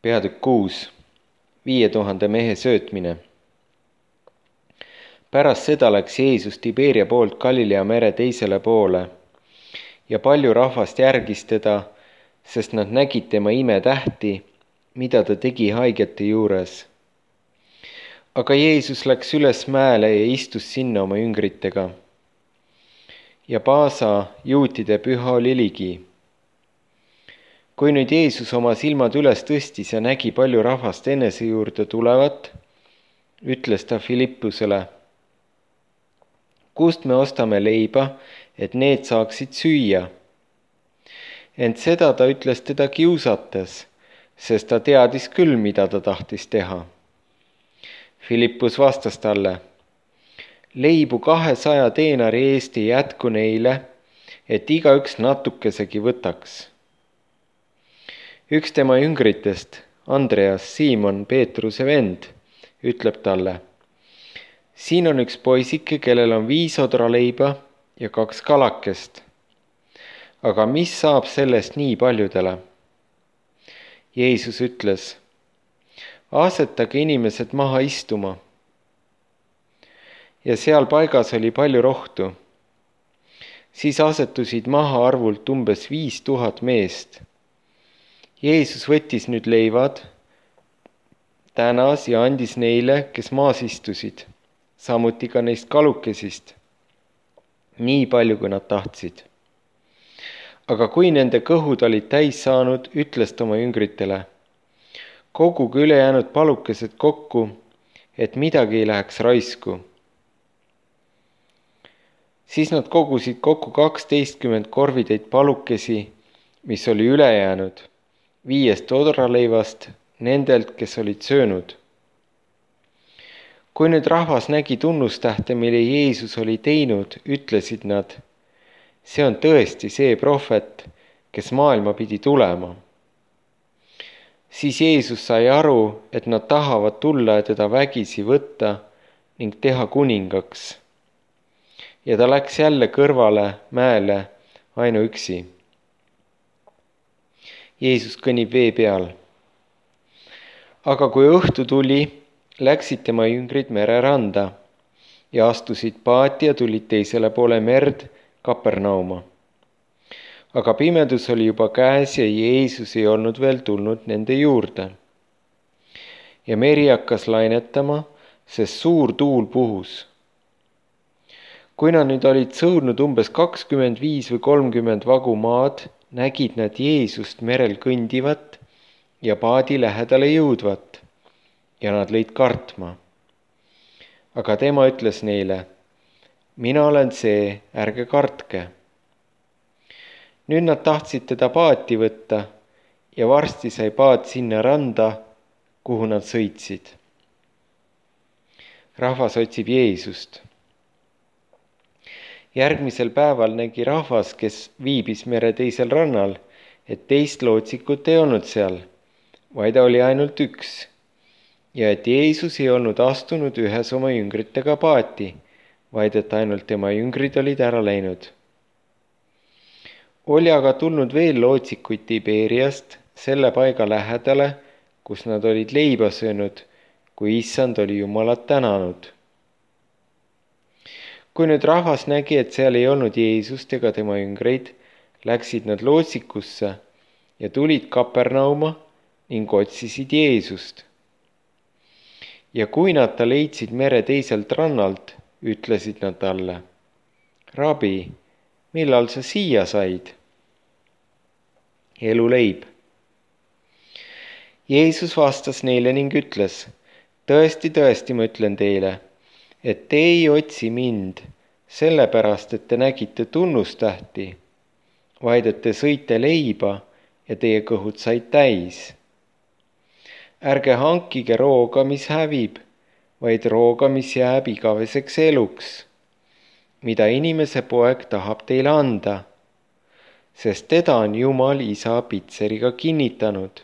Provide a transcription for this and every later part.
Peatükk 6. 5000 mehe söötmine. Pärast seda läks Jeesus Tiberia poolt Galilea mere teisele poole ja palju rahvast järgis teda, sest nad nägid tema imetähti, mida ta tegi haigete juures. Aga Jeesus läks üles mäele ja istus sinna oma jüngritega. Ja Paasa juutide püha oli ligi. Kui nüüd Jeesus oma silmad üles tõstis ja nägi palju rahvast enese juurde tulevat, ütles ta Filippusele: kust me ostame leiba, et need saaksid süüa? Ent seda ta ütles teda kiusates, sest ta teadis küll, mida ta tahtis teha. Filippus vastas talle: leibu 200 teenari eest ei jätku neile, et igaüks natukesegi võtaks. Üks tema jüngritest, Andreas, Siimon Peetruse vend, ütleb talle: siin on üks poisike, kellel on 5 odraleiba ja 2 kalakest. Aga mis saab sellest nii paljudele? Jeesus ütles: asetage inimesed maha istuma. Ja seal paigas oli palju rohtu. Siis asetusid maha arvult umbes 5000 meest. Jeesus võttis nüüd leivad, tänas ja andis neile, kes maas istusid, samuti ka neist kalukesist, nii palju, kui nad tahtsid. Aga kui nende kõhud olid täis saanud, ütles ta oma jüngritele: koguge ülejäänud palukesed kokku, et midagi ei läheks raisku. Siis nad kogusid kokku 12 korvitäit palukesi, mis oli üle jäänud 5 odraleivast nendelt, kes olid söönud. Kui nüüd rahvas nägi tunnustähte, mille Jeesus oli teinud, ütlesid nad: see on tõesti see prohvet, kes maailma pidi tulema. Siis Jeesus sai aru, et nad tahavad tulla ja teda vägisi võtta ning teha kuningaks. Ja ta läks jälle kõrvale mäele ainuüksi. Jeesus kõnnib vee peal. Aga kui õhtu tuli, läksid tema jüngrid mereranda ja astusid paati ja tulid teisele poole merd Kapernauma. Aga pimedus oli juba käes ja Jeesus ei olnud veel tulnud nende juurde. Ja meri hakkas lainetama, sest suur tuul puhus. Kui nad nüüd olid sõudnud umbes 25 või 30 vagu maad, nägid nad Jeesust merel kõndivat ja paadi lähedale jõudvat ja nad lõid kartma. Aga tema ütles neile: mina olen see, ärge kartke. Nüüd nad tahtsid teda paati võtta ja varsti sai paat sinna randa, kuhu nad sõitsid. Rahvas otsib Jeesust. Järgmisel päeval nägi rahvas, kes viibis mere teisel rannal, et teist lootsikut ei olnud seal, vaid oli ainult üks, ja et Jeesus ei olnud astunud ühes oma jüngritega paati, vaid et ainult tema jüngrid olid ära läinud. Oli aga tulnud veel lootsikuid Tiberiast selle paiga lähedale, kus nad olid leiba söönud, kui issand oli Jumalat tänanud. Kui nüüd rahvas nägi, et seal ei olnud Jeesust ega tema jüngreid, läksid nad lootsikusse ja tulid Kapernauma ning otsisid Jeesust. Ja kui nad ta leidsid mere teiselt rannalt, ütlesid nad talle: rabi, millal sa siia said? Eluleib. Jeesus vastas neile ning ütles: tõesti, tõesti, ma ütlen teile, et te ei otsi mind sellepärast, et te nägite tunnustähti, vaid et te sõite leiba ja teie kõhud said täis. Ärge hankige rooga, mis hävib, vaid rooga, mis jääb igaveseks eluks, mida inimese poeg tahab teile anda, sest teda on Jumal isa pitseriga kinnitanud.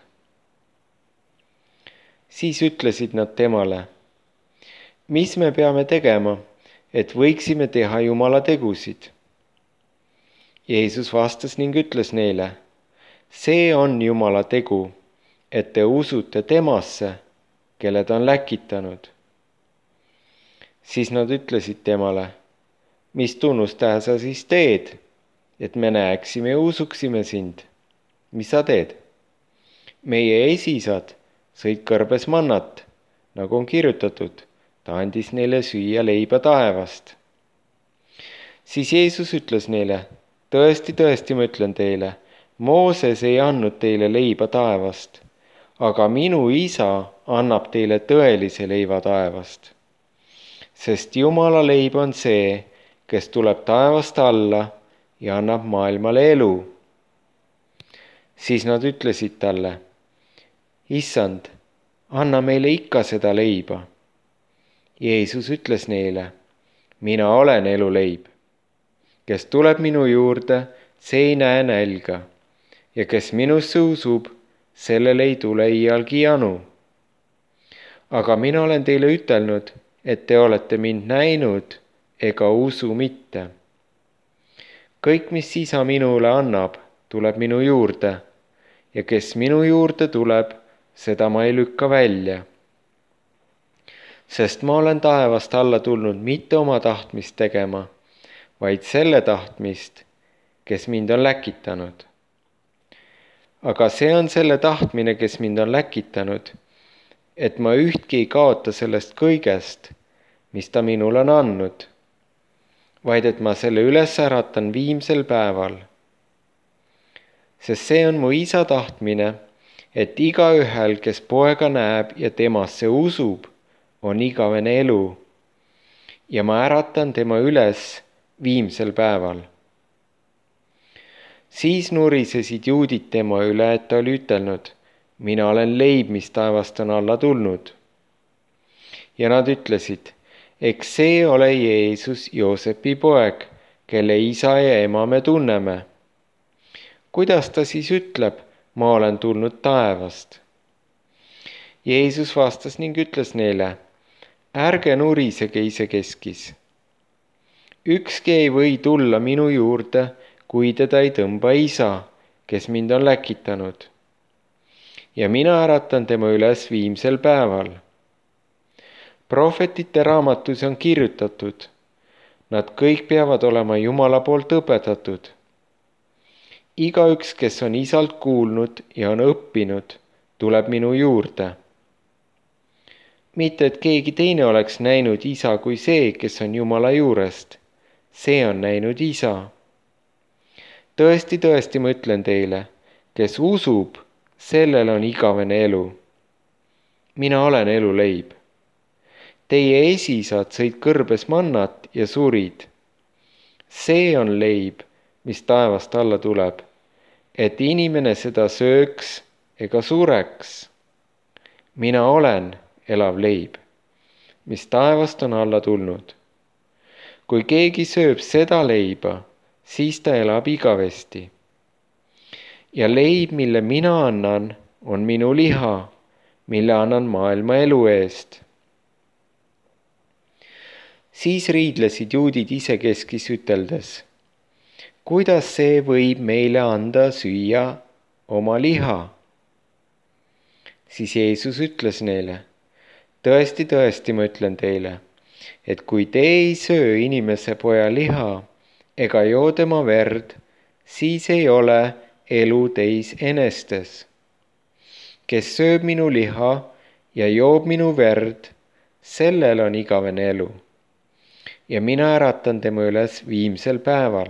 Siis ütlesid nad temale: mis me peame tegema, et võiksime teha Jumala tegusid? Jeesus vastas ning ütles neile: see on Jumala tegu, et te usute temasse, kelle ta on läkitanud. Siis nad ütlesid temale, mis tunnustähe sa siis teed, et me näeksime ja usuksime sind? Mis sa teed? Meie esisad sõid kõrbes mannat, nagu on kirjutatud, ta andis neile süüa leiba taevast. Siis Jeesus ütles neile, tõesti, tõesti, ma ütlen teile, Mooses ei andnud teile leiba taevast, aga minu isa annab teile tõelise leiva taevast. Sest Jumala leib on see, kes tuleb taevast alla ja annab maailmale elu. Siis nad ütlesid talle, Issand, anna meile ikka seda leiba. Jeesus ütles neile, mina olen eluleib. Kes tuleb minu juurde, see ei näe nälga, ja kes minusse usub, sellel ei tule iialgi janu. Aga mina olen teile ütelnud, et te olete mind näinud ega usu mitte. Kõik, mis isa minule annab, tuleb minu juurde, ja kes minu juurde tuleb, seda ma ei lükka välja. Sest ma olen taevast alla tulnud mitte oma tahtmist tegema, vaid selle tahtmist, kes mind on läkitanud. Aga see on selle tahtmine, kes mind on läkitanud, et ma ühtki ei kaota sellest kõigest, mis ta minule on andnud, vaid et ma selle üles äratan viimsel päeval. Sest see on mu isa tahtmine, et igaühel, kes poega näeb ja temasse usub, on igavene elu, ja ma äratan tema üles viimsel päeval. Siis nurisesid juudid tema üle, et ta oli ütelnud, mina olen leib, mis taevast on alla tulnud. Ja nad ütlesid, eks see ole Jeesus, Joosepi poeg, kelle isa ja ema me tunneme. Kuidas ta siis ütleb, ma olen tulnud taevast? Jeesus vastas ning ütles neile, ärge nurisege isekeskis. Ükski ei või tulla minu juurde, kui teda ei tõmba isa, kes mind on läkitanud. Ja mina äratan tema üles viimsel päeval. Prohvetite raamatus on kirjutatud, nad kõik peavad olema Jumala poolt õpetatud. Igaüks, kes on isalt kuulnud ja on õppinud, tuleb minu juurde. Mitte, et keegi teine oleks näinud isa kui see, kes on Jumala juurest. See on näinud isa. Tõesti, tõesti, ma ütlen teile, kes usub, sellel on igavene elu. Mina olen eluleib. Teie esisad sõid kõrbes mannat ja surid. See on leib, mis taevast alla tuleb, et inimene seda sööks ega sureks. Mina olen elav leib, mis taevast on alla tulnud. Kui keegi sööb seda leiba, siis ta elab igavesti. Ja leib, mille mina annan, on minu liha, mille annan maailma elu eest. Siis riidlesid juudid isekeskis üteldes, kuidas see võib meile anda süüa oma liha? Siis Jeesus ütles neile, tõesti, tõesti, ma ütlen teile, et kui te ei söö inimese poja liha ega joo tema verd, siis ei ole elu teis enestes. Kes sööb minu liha ja joob minu verd, sellel on igavene elu. Ja mina äratan tema üles viimsel päeval.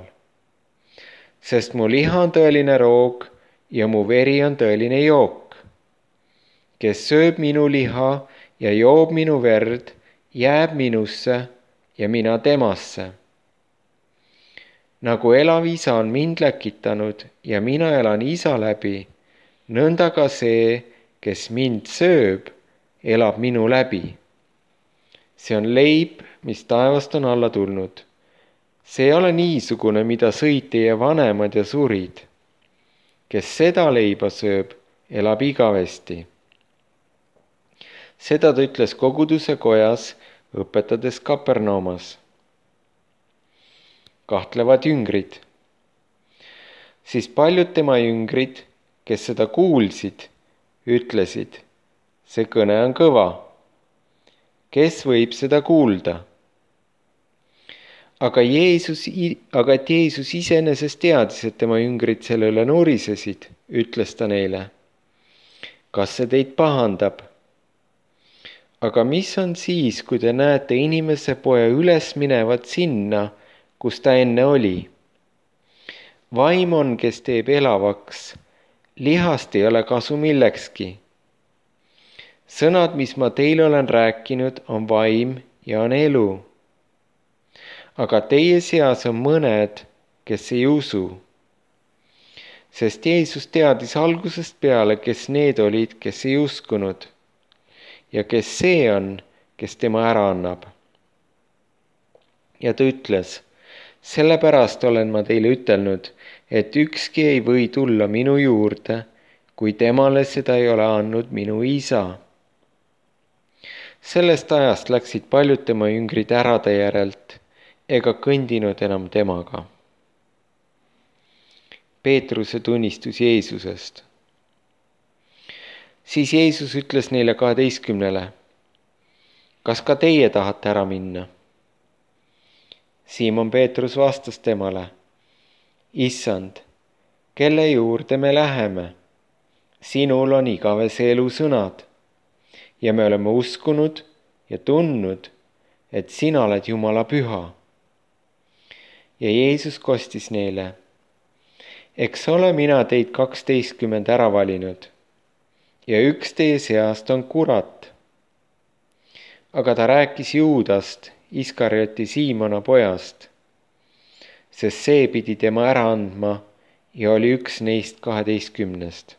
Sest mu liha on tõeline roog ja mu veri on tõeline jook. Kes sööb minu liha ja joob minu verd, jääb minusse ja mina temasse. Nagu elav isa on mind läkitanud ja mina elan isa läbi, nõnda ka see, kes mind sööb, elab minu läbi. See on leib, mis taevast on alla tulnud. See ei ole niisugune, mida sõid teie vanemad ja surid. Kes seda leiba sööb, elab igavesti. Seda ta ütles koguduse kojas, õpetades Kapernaumas. Kahtlevad jüngrid. Siis paljud tema jüngrid, kes seda kuulsid, ütlesid, see kõne on kõva. Kes võib seda kuulda? Aga et Jeesus iseenesest teadis, et tema jüngrid selle üle nurisesid, ütles ta neile, kas see teid pahandab? Aga mis on siis, kui te näete inimese poja üles minevat sinna, kus ta enne oli? Vaim on, kes teeb elavaks, lihast ei ole kasu millekski. Sõnad, mis ma teile olen rääkinud, on vaim ja on elu. Aga teie seas on mõned, kes ei usu. Sest Jeesus teadis algusest peale, kes need olid, kes ei uskunud ja kes see on, kes tema ära annab. Ja ta ütles, sellepärast olen ma teile ütelnud, et ükski ei või tulla minu juurde, kui temale seda ei ole andnud minu isa. Sellest ajast läksid paljud tema jüngrid ära ta järelt ega kõndinud enam temaga. Peetruse tunnistus Jeesusest. Siis Jeesus ütles neile 12, kas ka teie tahate ära minna? Siimon Peetrus vastas temale, Issand, kelle juurde me läheme? Sinul on igavese elu sõnad ja me oleme uskunud ja tundnud, et sina oled Jumala püha. Ja Jeesus kostis neile, eks ole mina teid 12 ära valinud ja üks teie seast on kurat. Aga ta rääkis Juudast, Iskarioti Siimona pojast, sest see pidi tema ära andma ja oli üks neist 12.